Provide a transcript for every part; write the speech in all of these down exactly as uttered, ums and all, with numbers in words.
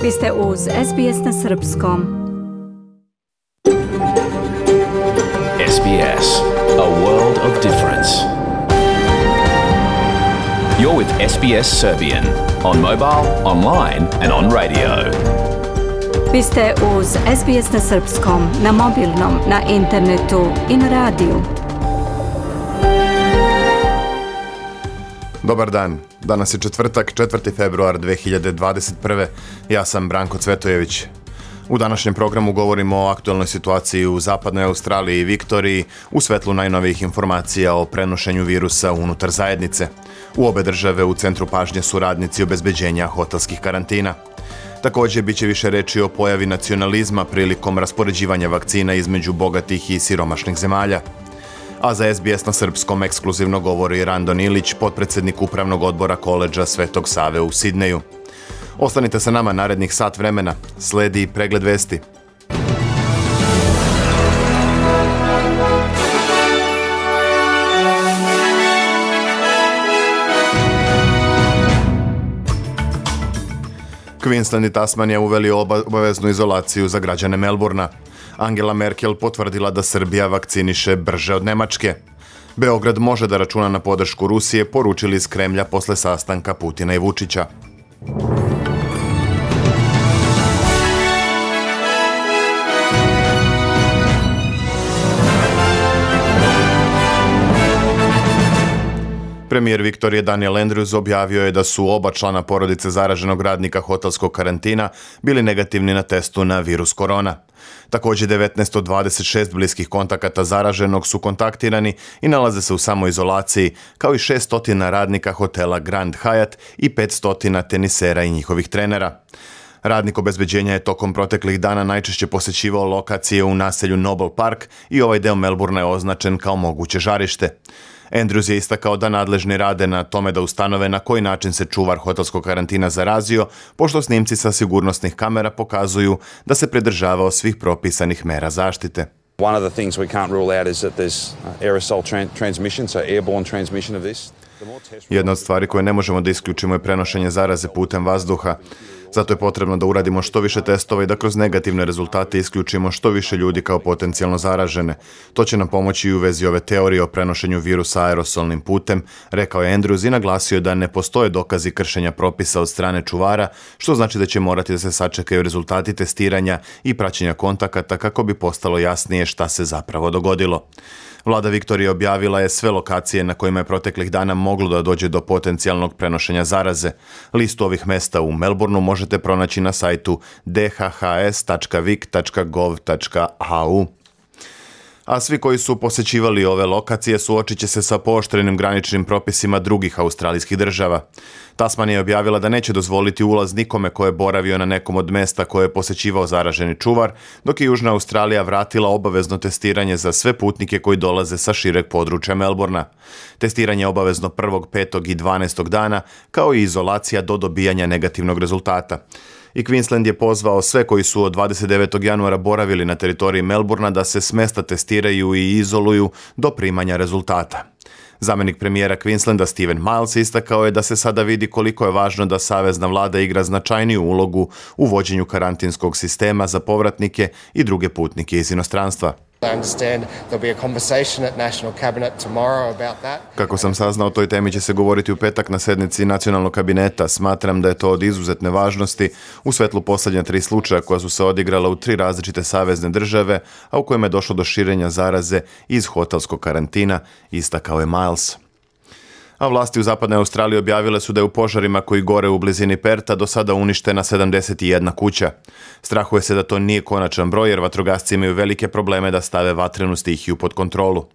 Vi ste uz S B S na srpskom. S B S, a world of difference. You're with S B S Serbian on mobile, online and on radio. Vi ste uz S B S na srpskom, na mobilnom, na internetu i na radiju. Dobar dan, danas je četvrtak, četvrti februar dve hiljade dvadeset prve. Ja sam Branko Cvetojević. U današnjem programu govorimo o aktualnoj situaciji u zapadnoj Australiji i Viktoriji u svetlu najnovijih informacija o prenošenju virusa unutar zajednice. U obe države u centru pažnje su radnici obezbeđenja hotelskih karantina. Također bit će više reči o pojavi nacionalizma prilikom raspoređivanja vakcina između bogatih i siromašnih zemalja. A za S B S na srpskom ekskluzivno govori Randon Ilić, potpredsjednik upravnog odbora koledža Svetog Save u Sidneju. Ostanite sa nama narednih sat vremena. Sledi pregled vesti. Queensland i Tasmanija uveli obaveznu izolaciju za građane Melbourna. Angela Merkel potvrdila da Srbija vakciniše brže od Nemačke. Beograd može da računa na podršku Rusije, poručili iz Kremlja posle sastanka Putina i Vučića. Premijer Viktorije Daniel Andrews objavio je da su oba člana porodice zaraženog radnika hotelskog karantina bili negativni na testu na virus korona. Također devetnaest od dvadeset šest bliskih kontakata zaraženog su kontaktirani i nalaze se u samoizolaciji, kao i šesnaest radnika hotela Grand Hyatt i petsto tenisera i njihovih trenera. Radnik obezbeđenja je tokom proteklih dana najčešće posjećivao lokacije u naselju Noble Park i ovaj deo Melbourna je označen kao moguće žarište. Andrews je istakao da nadležni rade na tome da ustanove na koji način se čuvar hotelskog karantina zarazio, pošto snimci sa sigurnosnih kamera pokazuju da se pridržavao svih propisanih mera zaštite. One of the things we can't rule out is that there's aerosol tran- transmission, so airborne transmission of this. Jedna od stvari koje ne možemo da isključimo je prenošenje zaraze putem vazduha. Zato je potrebno da uradimo što više testova i da kroz negativne rezultate isključimo što više ljudi kao potencijalno zaražene. To će nam pomoći i u vezi ove teorije o prenošenju virusa aerosolnim putem, rekao je Andrews i naglasio da ne postoje dokazi kršenja propisa od strane čuvara, što znači da će morati da se sačekaju rezultati testiranja i praćenja kontakata kako bi postalo jasnije šta se zapravo dogodilo. Vlada Viktorije objavila je sve lokacije na kojima je proteklih dana moglo da dođe do potencijalnog prenošenja zaraze. Listu ovih mesta u Melbourneu možete pronaći na sajtu d h h s tačka vic tačka gov tačka a u. A svi koji su posjećivali ove lokacije suočit će se sa pooštrenim graničnim propisima drugih australijskih država. Tasmanija je objavila da neće dozvoliti ulaz nikome ko je boravio na nekom od mesta koje je posjećivao zaraženi čuvar, dok je Južna Australija vratila obavezno testiranje za sve putnike koji dolaze sa šireg područja Melbourna. Testiranje je obavezno prvog, petog i dvanaestog dana, kao i izolacija do dobijanja negativnog rezultata. I Queensland je pozvao sve koji su od dvadeset devetog januara boravili na teritoriji Melbourna da se s mesta testiraju i izoluju do primanja rezultata. Zamjenik premijera Queenslanda Steven Miles istakao je da se sada vidi koliko je važno da savezna vlada igra značajniju ulogu u vođenju karantinskog sistema za povratnike i druge putnike iz inostranstva. Kako sam saznao, o toj temi će se govoriti u petak na sednici nacionalnog kabineta. Smatram da je to od izuzetne važnosti u svetlu posljednja tri slučaja koja su se odigrala u tri različite savezne države, a u kojima je došlo do širenja zaraze iz hotelskog karantina, istakao je Miles. A vlasti u zapadnoj Australiji objavile su da je u požarima koji gore u blizini Perta do sada uništena sedamdeset jedna kuća. Strahuje se da to nije konačan broj jer vatrogasci imaju velike probleme da stave vatrenu stihiju pod kontrolu.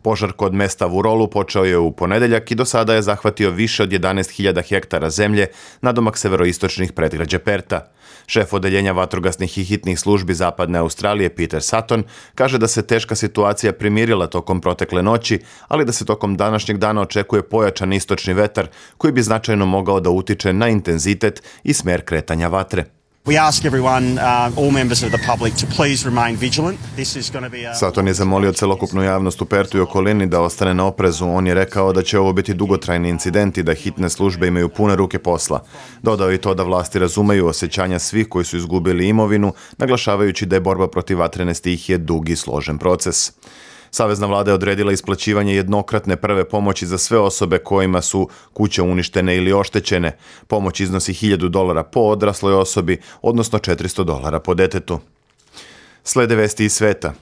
Požar kod mesta Vurolu počeo je u ponedeljak i do sada je zahvatio više od jedanaest hiljada hektara zemlje nadomak severoistočnih predgrađa Perta. Šef odeljenja vatrogasnih i hitnih službi zapadne Australije Peter Sutton kaže da se teška situacija primirila tokom protekle noći, ali da se tokom današnjeg dana očekuje pojačan istočni vetar koji bi značajno mogao da utiče na intenzitet i smer kretanja vatre. Saton je zamolio celokupnu javnost u Pertu i okolini da ostane na oprezu. On je rekao da će ovo biti dugotrajni incident i da hitne službe imaju pune ruke posla. Dodao je i to da vlasti razumeju osjećanja svih koji su izgubili imovinu, naglašavajući da je borba protiv vatrene stihije dug i složen proces. Savezna vlada je odredila isplaćivanje jednokratne prve pomoći za sve osobe kojima su kuće uništene ili oštećene. Pomoć iznosi hiljadu dolara po odrasloj osobi, odnosno četiristo dolara po detetu. Slede vesti iz sveta.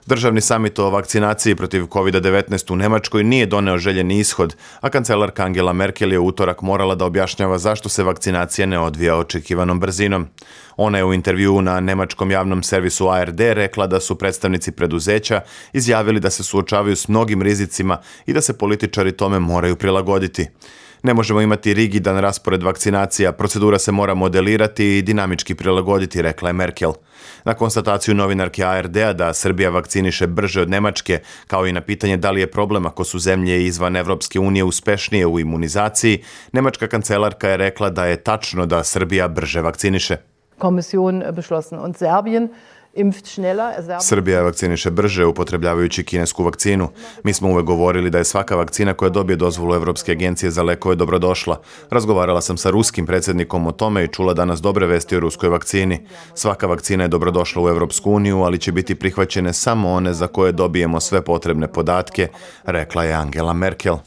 Državni samit o vakcinaciji protiv kovid devetnaest u Nemačkoj nije doneo željeni ishod, a kancelarka Angela Merkel je u utorak morala da objašnjava zašto se vakcinacija ne odvija očekivanom brzinom. Ona je u intervjuu na nemačkom javnom servisu A R D rekla da su predstavnici preduzeća izjavili da se suočavaju s mnogim rizicima i da se političari tome moraju prilagoditi. Ne možemo imati rigidan raspored vakcinacija, procedura se mora modelirati i dinamički prilagoditi, rekla je Merkel. Na konstataciju novinarke A R D-a da Srbija vakciniše brže od Nemačke, kao i na pitanje da li je problem ako su zemlje izvan Evropske unije uspešnije u imunizaciji, nemačka kancelarka je rekla da je tačno da Srbija brže vakciniše. Kommission beschlossen und Serbien Srbija vakciniše brže upotrebljavajući kinesku vakcinu. Mi smo uvek govorili da je svaka vakcina koja dobije dozvolu Evropske agencije za lekove dobrodošla. Razgovarala sam sa ruskim predsjednikom o tome i čula danas dobre vesti o ruskoj vakcini. Svaka vakcina je dobrodošla u Evropsku uniju, ali će biti prihvaćene samo one za koje dobijemo sve potrebne podatke, rekla je Angela Merkel.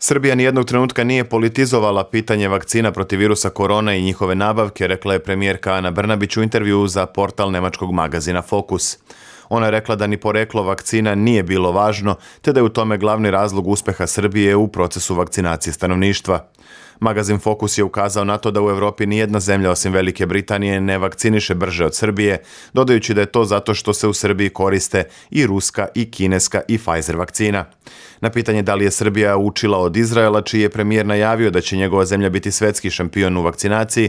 Srbija nijednog trenutka nije politizovala pitanje vakcina protiv virusa korona i njihove nabavke, rekla je premijerka Ana Brnabić u intervjuu za portal nemačkog magazina Fokus. Ona je rekla da ni poreklo vakcina nije bilo važno, te da je u tome glavni razlog uspeha Srbije u procesu vakcinacije stanovništva. Magazin Fokus je ukazao na to da u Evropi nijedna zemlja osim Velike Britanije ne vakciniše brže od Srbije, dodajući da je to zato što se u Srbiji koriste i ruska i kineska i Pfizer vakcina. Na pitanje da li je Srbija učila od Izraela, čiji je premijer najavio da će njegova zemlja biti svetski šampion u vakcinaciji,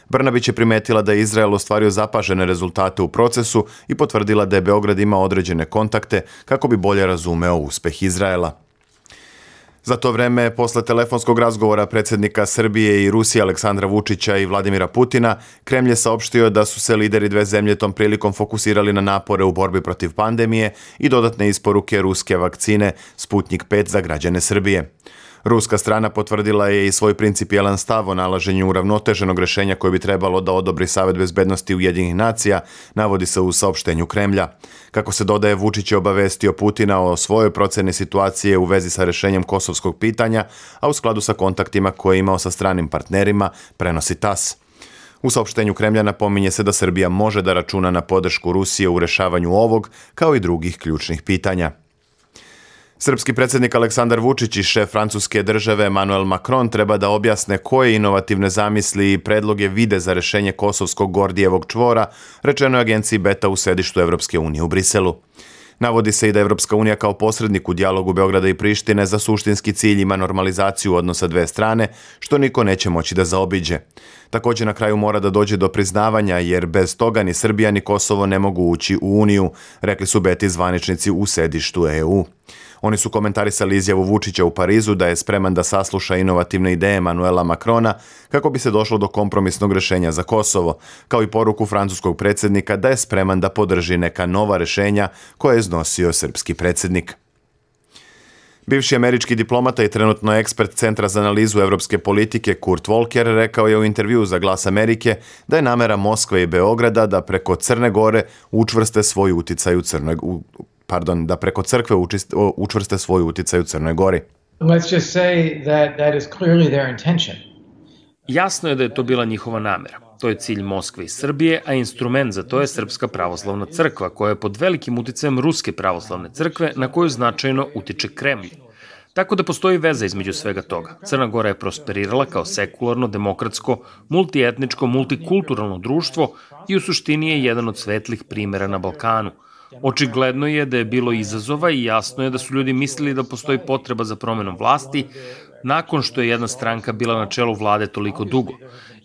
Brnabić je primetila da je Izrael ostvario zapažene rezultate u procesu i potvrdila da je Beograd imao određene kontakte kako bi bolje razumeo uspeh Izraela. Za to vreme, posle telefonskog razgovora predsjednika Srbije i Rusije Aleksandra Vučića i Vladimira Putina, Kremlj je saopštio da su se lideri dve zemlje tom prilikom fokusirali na napore u borbi protiv pandemije i dodatne isporuke ruske vakcine Sputnik pet za građane Srbije. Ruska strana potvrdila je i svoj principijelan stav o nalaženju uravnoteženog rešenja koje bi trebalo da odobri Savet bezbednosti Ujedinjenih nacija, navodi se u saopštenju Kremlja. Kako se dodaje, Vučić je obavestio Putina o svojoj proceni situacije u vezi sa rešenjem kosovskog pitanja, a u skladu sa kontaktima koje je imao sa stranim partnerima, prenosi TAS. U saopštenju Kremlja napominje se da Srbija može da računa na podršku Rusije u rešavanju ovog, kao i drugih ključnih pitanja. Srpski predsjednik Aleksandar Vučić i šef francuske države Emmanuel Macron treba da objasne koje inovativne zamisli i predloge vide za rešenje kosovskog Gordijevog čvora, rečeno je agenciji Beta u sedištu Evropske unije u Briselu. Navodi se i da Evropska unija kao posrednik u dijalogu Beograda i Prištine za suštinski cilj ima normalizaciju odnosa dve strane, što niko neće moći da zaobiđe. Također na kraju mora da dođe do priznavanja, jer bez toga ni Srbija ni Kosovo ne mogu ući u Uniju, rekli su Beti zvaničnici u sedištu E U. Oni su komentarisali izjavu Vučića u Parizu da je spreman da sasluša inovativne ideje Emanuela Macrona kako bi se došlo do kompromisnog rešenja za Kosovo, kao i poruku francuskog predsjednika da je spreman da podrži neka nova rešenja koje je iznosio srpski predsjednik. Bivši američki diplomata i trenutno ekspert Centra za analizu evropske politike Kurt Volker rekao je u intervjuu za Glas Amerike da je namera Moskve i Beograda da preko Crne Gore učvrste svoj uticaj u Crnoj u, pardon, da preko crkve učist, učvrste svoj uticaj u Crnoj Gori. Let's just say that that is clearly their intention. Jasno je da je to bila njihova namera. To je cilj Moskve i Srbije, a instrument za to je Srpska pravoslavna crkva, koja je pod velikim uticajem Ruske pravoslavne crkve, na koju značajno utiče Kremlj. Tako da postoji veza između svega toga. Crna Gora je prosperirala kao sekularno, demokratsko, multietničko, multikulturalno društvo i u suštini je jedan od svetlih primjera na Balkanu. Očigledno je da je bilo izazova i jasno je da su ljudi mislili da postoji potreba za promenom vlasti nakon što je jedna stranka bila na čelu vlade toliko dugo.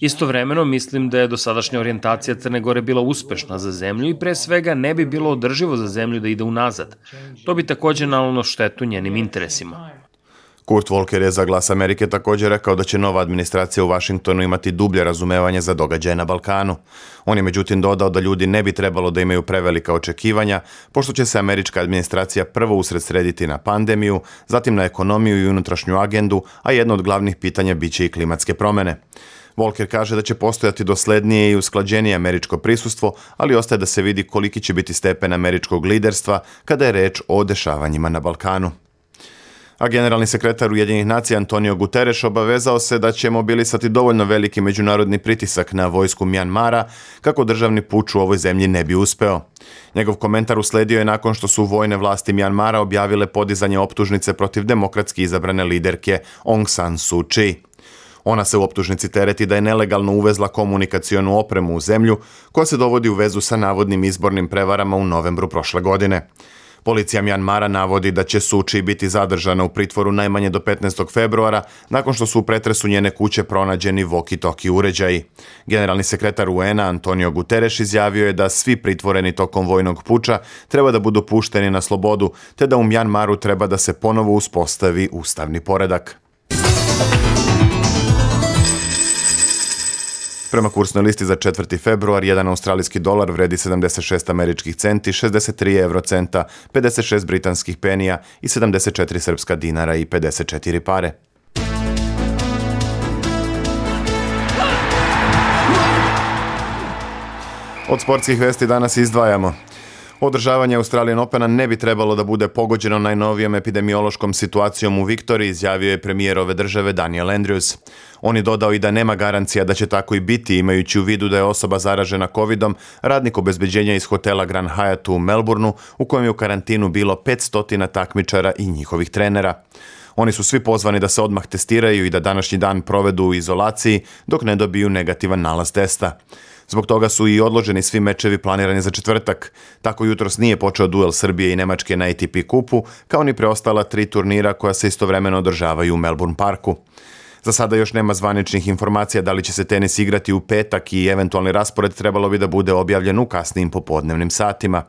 Istovremeno mislim da je dosadašnja orijentacija Crne Gore bila uspešna za zemlju i pre svega ne bi bilo održivo za zemlju da ide unazad. To bi također nanelo štetu njenim interesima. Kurt Volker je za Glas Amerike također rekao da će nova administracija u Washingtonu imati dublje razumevanje za događaje na Balkanu. On je međutim dodao da ljudi ne bi trebalo da imaju prevelika očekivanja, pošto će se američka administracija prvo usredsrediti na pandemiju, zatim na ekonomiju i unutrašnju agendu, a jedno od glavnih pitanja biće i klimatske promjene. Volker kaže da će postojati doslednije i usklađenije američko prisustvo, ali ostaje da se vidi koliki će biti stepen američkog liderstva kada je reč o dešavanjima na Balkanu. A generalni sekretar Ujedinjenih nacija Antonio Guterres obavezao se da će mobilisati dovoljno veliki međunarodni pritisak na vojsku Mjanmara kako državni puč u ovoj zemlji ne bi uspeo. Njegov komentar usledio je nakon što su vojne vlasti Mjanmara objavile podizanje optužnice protiv demokratski izabrane liderke Aung San Suu Kyi. Ona se u optužnici tereti da je nelegalno uvezla komunikacionu opremu u zemlju koja se dovodi u vezu sa navodnim izbornim prevarama u novembru prošle godine. Policija Mjanmara navodi da će Suu Kyi biti zadržana u pritvoru najmanje do petnaestog februara nakon što su u pretresu njene kuće pronađeni walkie-talkie uređaji. Generalni sekretar U N-a Antonio Guterres izjavio je da svi pritvoreni tokom vojnog puča treba da budu pušteni na slobodu, te da u Mjanmaru treba da se ponovo uspostavi ustavni poredak. Prema kursnoj listi za četvrti februar, jedan australijski dolar vredi sedamdeset šest američkih centi, šezdeset tri evrocenta, pedeset šest britanskih penija i sedamdeset četiri srpska dinara i pedeset četiri pare. Od sportskih vesti danas izdvajamo. Održavanje Australian Opena ne bi trebalo da bude pogođeno najnovijom epidemiološkom situacijom u Viktoriji, izjavio je premijer ove države Daniel Andrews. On je dodao i da nema garancija da će tako i biti, imajući u vidu da je osoba zaražena covidom radnik obezbeđenja iz hotela Grand Hyatt u Melbourneu, u kojem je u karantinu bilo petsto takmičara i njihovih trenera. Oni su svi pozvani da se odmah testiraju i da današnji dan provedu u izolaciji dok ne dobiju negativan nalaz testa. Zbog toga su i odloženi svi mečevi planirani za četvrtak. Tako jutros nije počeo duel Srbije i Nemačke na A T P kupu, kao ni preostala tri turnira koja se istovremeno održavaju u Melbourne parku. Za sada još nema zvaničnih informacija da li će se tenis igrati u petak i eventualni raspored trebalo bi da bude objavljen u kasnijim popodnevnim satima.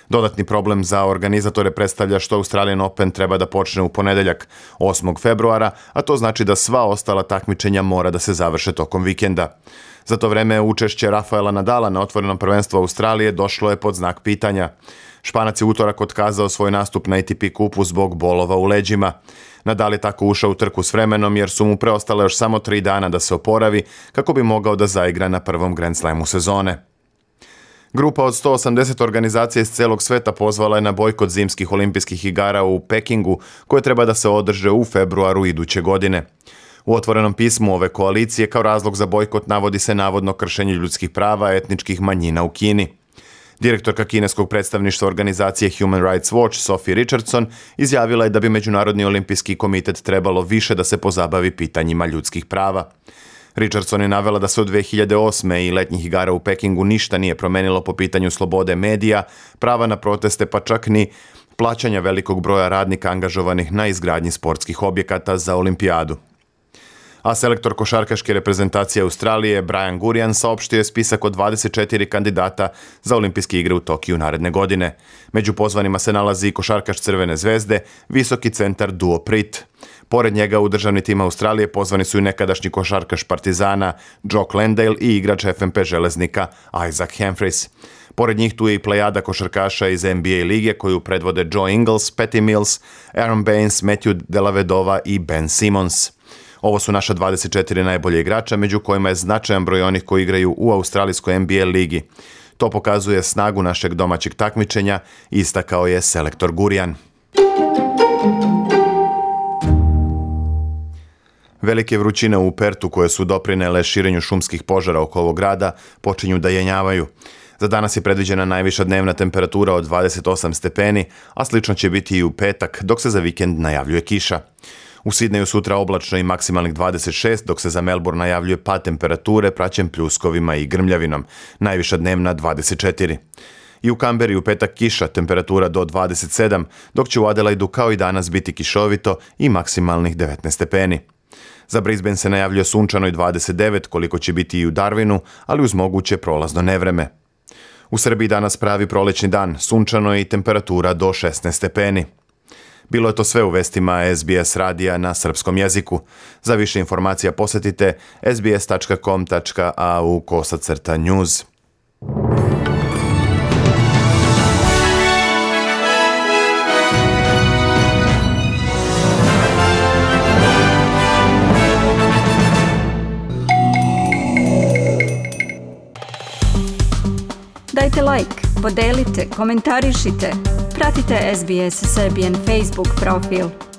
Dodatni problem za organizatore predstavlja što Australian Open treba da počne u ponedeljak, osmog februara, a to znači da sva ostala takmičenja mora da se završe tokom vikenda. Za to vreme učešće Rafaela Nadala na otvorenom prvenstvu Australije došlo je pod znak pitanja. Španac je utorak otkazao svoj nastup na A T P kupu zbog bolova u leđima. Nadal je tako ušao u trku s vremenom jer su mu preostale još samo tri dana da se oporavi kako bi mogao da zaigra na prvom Grand Slamu sezone. Grupa od sto osamdeset organizacija iz celog sveta pozvala je na bojkot zimskih olimpijskih igara u Pekingu, koje treba da se održe u februaru iduće godine. U otvorenom pismu ove koalicije kao razlog za bojkot navodi se navodno kršenje ljudskih prava etničkih manjina u Kini. Direktorka kineskog predstavništva organizacije Human Rights Watch Sophie Richardson izjavila je da bi Međunarodni olimpijski komitet trebalo više da se pozabavi pitanjima ljudskih prava. Richardson je navela da se od dve hiljade osme i letnjih igara u Pekingu ništa nije promenilo po pitanju slobode medija, prava na proteste pa čak ni plaćanja velikog broja radnika angažovanih na izgradnji sportskih objekata za olimpijadu. A selektor košarkaške reprezentacije Australije Brian Gurian saopštio je spisak od dvadeset četiri kandidata za olimpijske igre u Tokiju naredne godine. Među pozvanima se nalazi i košarkaš Crvene zvezde, visoki centar Duo Prit. Pored njega u državni tim Australije pozvani su i nekadašnji košarkaš Partizana Jock Landale i igrač F M P Železnika Isaac Humphries. Pored njih tu je i plejada košarkaša iz N B A lige koju predvode Joe Ingles, Patty Mills, Aaron Baines, Matthew Dellavedova i Ben Simmons. Ovo su naša dvadeset četiri najbolje igrača, među kojima je značajan broj onih koji igraju u australijskoj N B A ligi. To pokazuje snagu našeg domaćeg takmičenja, istakao je selektor Gurian. Velike vrućine u Pertu koje su doprinele širenju šumskih požara oko ovog grada počinju da jenjavaju. Za danas je predviđena najviša dnevna temperatura od dvadeset osam stepeni, a slično će biti i u petak, dok se za vikend najavljuje kiša. U Sidneju sutra oblačno i maksimalnih dvadeset šest, dok se za Melbourne najavljuje pad temperature praćen pljuskovima i grmljavinom, najviša dnevna dvadeset četiri. I u Kamberi u petak kiša, temperatura do dvadeset sedam, dok će u Adelaidu kao i danas biti kišovito i maksimalnih devetnaest stepeni. Za Brisbane se najavljuje sunčano i dvadeset devet, koliko će biti i u Darwinu, ali uz moguće prolazno nevreme. U Srbiji danas pravi prolećni dan, sunčano i temperatura do šesnaest stepeni. Bilo je to sve u vestima S B S radija na srpskom jeziku. Za više informacija posjetite sbs tačka com tačka a u kosacrta news. Dajte like, podelite, komentarišite, pratite S B S Serbian Facebook profil.